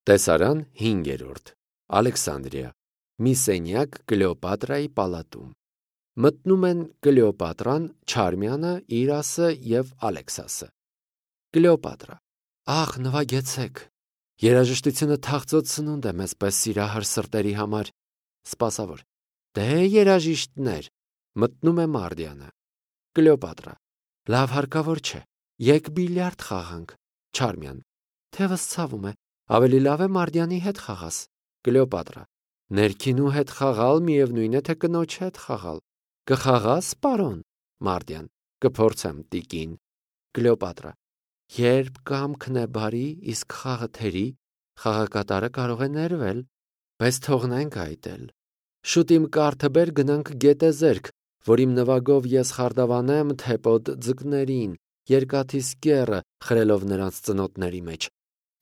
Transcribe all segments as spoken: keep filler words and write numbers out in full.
Տեսարան հինգերորդ Ալեքսանդրիա մի սենյակ Կլեոպատրայի պալատում։ Մտնում են Կլեոպատրան, Չարմյանը, Իրասը և Ալեքսասը։ Կլեոպատրա. Ախ, նվագեցեք։ Երաժշտությունը թախծոտ սնունդ է մեզ պես սիրահար սրտերի համար։ Սպասավոր. Դե երաժիշտներ։ Մտնում է Մարդյանը։ Կլեոպատրա. Լավ, հարկավոր չէ։ Եկ բիլիարդ խաղանք։ Չարմյան. Թևս ցավում է, ավելի լավ է Մարդյանի հետ խաղաս։ Կլեոպատրա. Ներքինու հետ խաղալ միևնույն է, թե կնոջ հետ խաղալ։ Կխաղաս, պարոն։ Մարդյան. Կփորձեմ, տիկին։ Կլեոպատրա. Երբ կամքն է բարի, իսկ խաղը թերի, խաղակատարը կարող է ներվել, բայց թողնենք այդ էլ։ Շուտ իմ կարթը բեր, գնանք գետեզերք, որ իմ նվագով ես խարդավանեմ թեպոտ ձկներին, երկաթիս կեռը խրելով նրանց ծնոտների մեջ,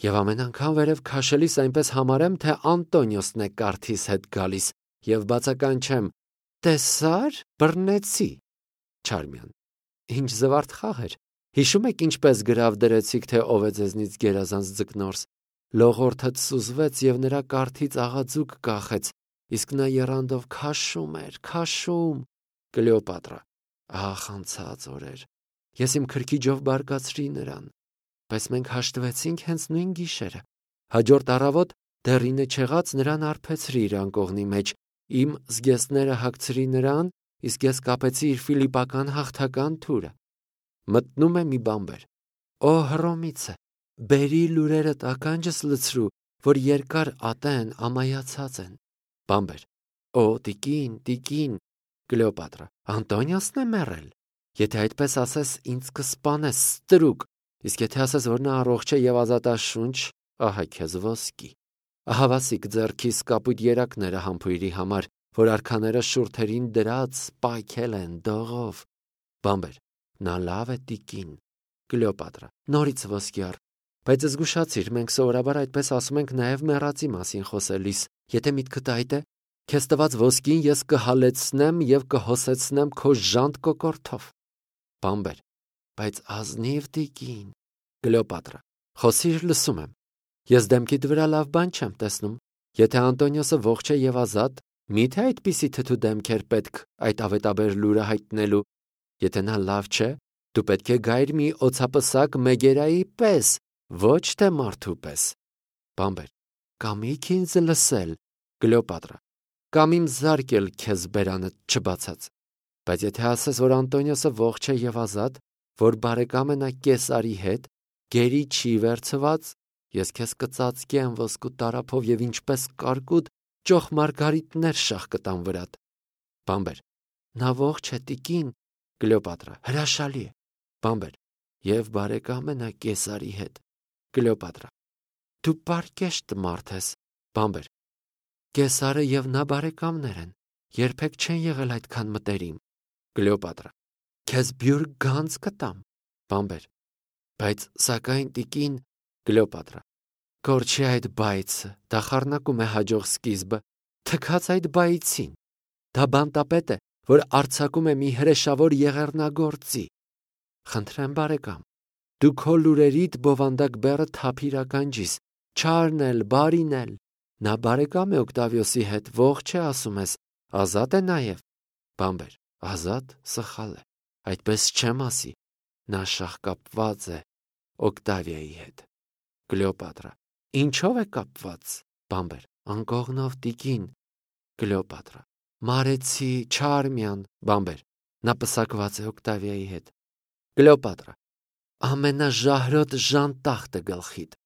և ամեն անգամ վերև քաշելիս այնպես համարեմ, թե Անտոնիոսն է կարթիս հետ գալիս, և բացականչեմ. տեսա՞ր, բռնեցի։ Չարմյան. Ինչ զվարթ խաղ էր։ Հիշում եք ինչպես գրավ դրեցիք, թե ով է ձեզնից գերազանց ձկնորս։ Լողորդդ սուզվեց և նրա կարթից աղաձուկ կախեց, իսկ նա եռանդով քաշում էր, քաշում։ Կլեոպատրա. Ախ, անցած օրեր, ես իմ քրքիջով բարկացրի նրան, բայց մենք հաշտվեցինք հենց նույն գիշերը։ Հաջորդ առավոտ դեռ ինը չեղած նրան արբեցրի իր անկողնի մեջ, իմ զգեստները հագցրի նրան, իսկ ես կապեցի իր ֆիլիպական հաղթական թուրը։ Մտնում է մի բանբեր. Օ Հռոմիցե, բերի լուրերդ ականջս լցրու, որ երկար ատեն ամայացած են։ Բանբեր. Օ տիկին, տիկին։ Կլեոպատրա. Անտոնիոսն է մեռել։ Եթե այդպես ասես, ինձ կսպանես, ստրուկ, իսկ եթե ասես, որ նա առողջ է և ազատաշունչ, ահա քեզ ոսկի։ Ահավասիկ ձեռքիս կապույտ երակները համբույրի համար, որ արքաները շուրթերին դրած պայքել են դողով։ Բանբեր. Նա լավ է, տիկին։ Կլեոպատրա. Նորից ոսկի առ։ Բայց զգուշացիր, մենք սովորաբար այդպես ասում ենք նաև մեռածի մասին խոսելիս։ Եթե միտքդ այդ է, քեզ տված ոսկին ես կհալեցնեմ և կհոսեցնեմ քո ժանտ կոկորդով։ Բանբեր. Բայց ազնիվ տիկին։ Կլեոպատրա. Խոսիր, լսում եմ։ Ես դեմքիդ վրա լավ բան չեմ տեսնում։ Եթե Անտոնիոսը ողջ է և ազատ, մի՞թե այդպիսի թթու դեմքեր պետք այդ ավետաբեր լուրը հայտնելու։ Եթե նա լավ չէ, դու պետք է գայր մի օձապսակ Մեգերայի պես, ոչ թե մարդու պես։ Բանբեր. Կամիք ինձ լսել։ Կլեոպատրա. Կամ իմ զարկել քեզ բերանդ չբացած։ Բայց եթե ասես, որ Անտոնիոսը ողջ է և ազատ, որ բարեկամ է նա Կեսարի հետ, գերի չի վերցված, ես քեզ կծածկեմ ոսկու տարափով և ինչպես կարկուտ ճոխ մարգարիտներ շաղ կտամ վրադ։ Բանբեր. Նա ողջ է, տիկին։ Կլեոպատրա. Հրաշալի է։ Բանբեր. Եվ բարեկամ է նա Կեսարի հետ։ Կլեոպատրա. Դու պարկեշտ մարդ ես։ Բանբեր. Կեսարը և նա բարեկամներ են, երբեք չեն եղել այդքան մտերիմ։ Կլեոպատրա. Քեզ բյուր գանձ կտամ։ Բանբեր. Բայց սակայն տիկին։ Կլեոպատրա. Կորչի այդ բայցը, դա խառնակում է հաջող սկիզբը, թքած այդ բայցին։ Դա բանտապետ է, որ արձակում է մի հրեշավոր եղեռնագործի։ Խնդրեմ բարեկամ, դու քո լուրերիդ բովանդակ բեռը թափիր ականջիս, չարն էլ, բարին էլ։ Նա բարեկամ է Օկտավիոսի հետ, ողջ է ասում ես, ազատ է նաև։ Բանբեր. Ազատ, սխալ է, այդպես չեմ ասի, նա շաղկապված է Օկտավիայի հետ։ Կլեոպատրա. Ինչով է կապված։ Բանբեր. Անկողնով, տիկին։ Կլեոպատրա. Մարեցի, Չարմյան։ Բանբեր. Նա պսակված է Օկտավիայի հետ։ Կլեոպատրա. Ամենաժահրոտ ժանտախտը գլխիդ։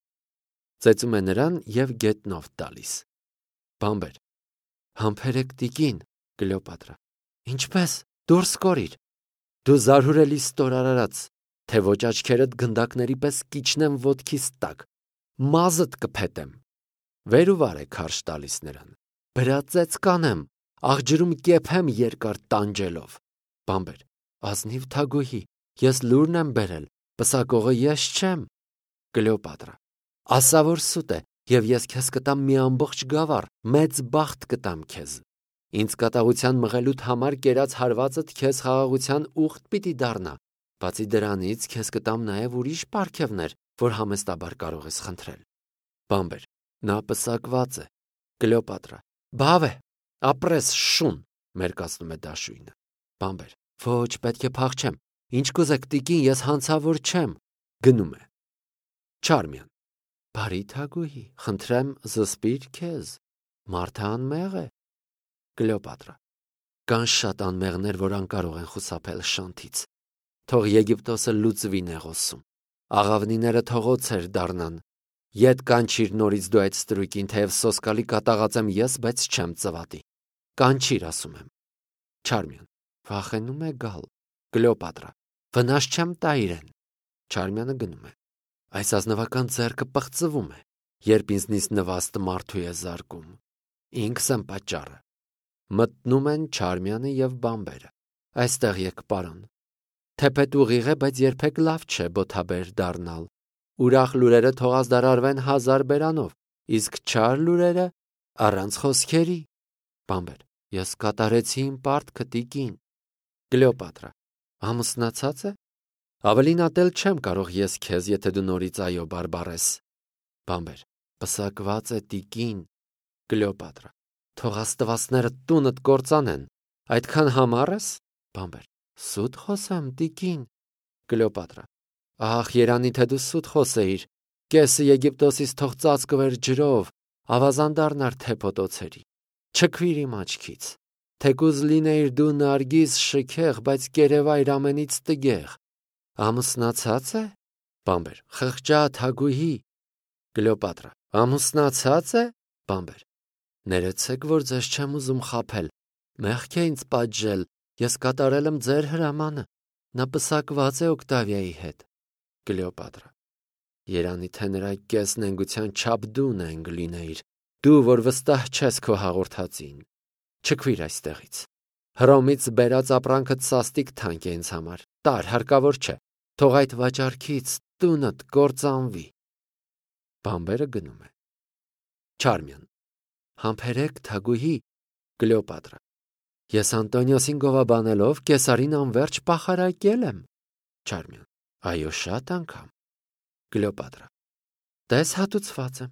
Ծեծում է նրան և գետնով տալիս։ Բանբեր. Համբերեք, տիկին։ Կլեոպատրա. Ինչպես, դուրս կորիր։ Դու զարհուրելի ստորարարած, թե ոչ աչքերդ գնդակների պես կիջնեմ ոտքիս տակ, մազդ կփետեմ։ Վեր ու վար է քարշ տալիս նրան։ Բրածեց կանեմ, աղջրում կեփեմ երկար տանջելով։ Բանբեր. Ազնիվ թագուհի, ես լուրն եմ բերել, պսակողը ես չեմ։ Կլեոպատրա. Ասա որ սուտ է, և ես քեզ կտամ մի ամբողջ գավառ, մեծ բախտ կտամ քեզ։ Ինձ կատաղության մղելուդ համար կերած հարվածդ քեզ խաղաղության ուխտ պիտի դառնա։ Բացի դրանից քեզ կտամ նաև ուրիշ պարգևներ, որ համեստաբար կարող ես խնդրել։ Բանբեր. Նա պսակված է։ Կլեոպատրա. Բավ է, ապրես շուն, մերկացնում է դաշույնը։ Բամբեր. Ոչ, պետք է փախչեմ։ Ինչ կուզեք, տիկին, ես հանցավոր չեմ։ Գնում է։ Չարմիան. Բարի թագուհի, խնդրեմ զսպիր քեզ։ Մարդը անմեղ է։ Կլեոպատրա. Կան շատ անմեղներ, որ անկարող են խուսափել շանթից։ Թող Եգիպտոսը լուծվի նեղոսում։ Աղավնիները թող օձեր դառնան։ Ետ կանչիր նորից դու այդ ստրույքին, թեև սոսկալի կատաղած եմ ես, բայց չեմ ծվատի։ Կանչիր, ասում եմ։ Չարմիան. Վախենում է գալ։ Կլեոպատրա. Վնաս չեմ տա իրեն։ Չարմյանը գնում է։ Այս ազնվական ձեռքը պղծվում է, երբ ինձնից նվաստը մարդու է զարկում։ Ինքս եմ պատճառը։ Մտնում են Չարմյանը և Բամբերը։ Այստեղ եք, պարոն։ Թեպետ ուղիղ է, բայց երբեք լավ չէ բոթաբեր դառնալ։ Ուրախ լուրերը թող ազդարարվեն հազար բերանով, իսկ չար լուրերը առանց խոսքերի։ Բամբեր. Ես կատարեցի իմ պարտքը, տիկին։ Կլեոպատրա. Ամուսնացած է։ Ավելին ատել չեմ կարող ես քեզ, եթե դու նորից այո բարբառես։ Բամբեր. Պսակված է, տիկին։ Կլեոպատրա. Թող աստվածները տունդ կործանեն։ Այդքան համառ ես։ Բամբեր. Սուտ խոսեմ, տիկին։ Կլեոպատրա. Ահ, երանի թե դու սուտ խոսեիր։ Կեսը Եգիպտոսից թող ծածկվեր ջրով, ավազան դառնար թեփոտոցերի։ Չքվիր իմ աչքից։ Թեկուզ լինեիր դու նարգիս շքեղ, բայց կերևայր ամենից տգեղ։ Ամուսնացած է։ Բամբեր. Խղճա թագուհի։ Կլեոպատրա. Ամուսնացած է։ Բամբեր. Ներեցեք, որ ձեզ չեմ ուզում խաբել։ Մեղք է ինձ պատժել, ես կատարել եմ ձեր հրամանը։ Նա պսակված է Օկտավիայի հետ։ Կլեոպատրա. Երանի թե նրա կես նենգության չափ դու նենգ լինեիր, դու, որ վստահ չես քո հաղորդածին։ Չքվիր այստեղից։ Հռոմից բերած ապրանքդ սաստիկ թանկ է ինձ համար։ Տար, հարկավոր չէ։ Թող այդ վաճառքից տունդ կործանվի։ Բամբերը գնում է։ Չարմյան. Համբերեք, թագուհի։ Կլեոպատրա. Ես Անտոնիոսին գովաբանելով կեսարին անվերջ պախարակել եմ։ Չարմյան. Այո, շատ անգամ։ Կլեոպատրա. Տես հատուցված եմ։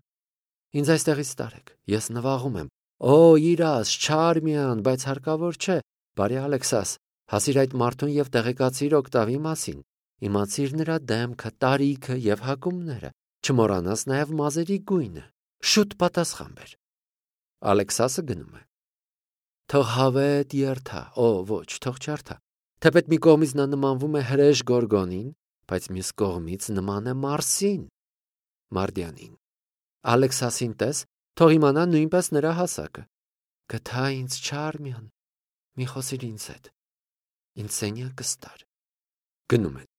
Ինձ այստեղից տարեք, ես նվաղում եմ։ Օ, իրաս, Չարմյան, բայց հարկավոր չէ։ Բարի Ալեքսաս, հասիր այդ մարդուն և տեղեկացիր Օկտավի մասին։ Իմացիր նրա դեմքը, տարիքը և հակումները։ Չմոռանաս նաև մազերի գույնը։ Շուտ պատասխան բեր։ Ալեքսասը գնում է։ Թող հավետ երթա, օ, ոչ, թող չարթա։ Թեպետ մի կողմից նա նմանվում է հրեշ գորգոնին, բայց մյուս կողմից նման է Մարսին, Մարդյանին։ Ալեքսասին տես, թող իմանա նույնպես նրա հասակը։ Գթա ինձ Չարմյան, մի խոսիր ինձ հետ։ Ինձ սենյակս տար։ Գնում են։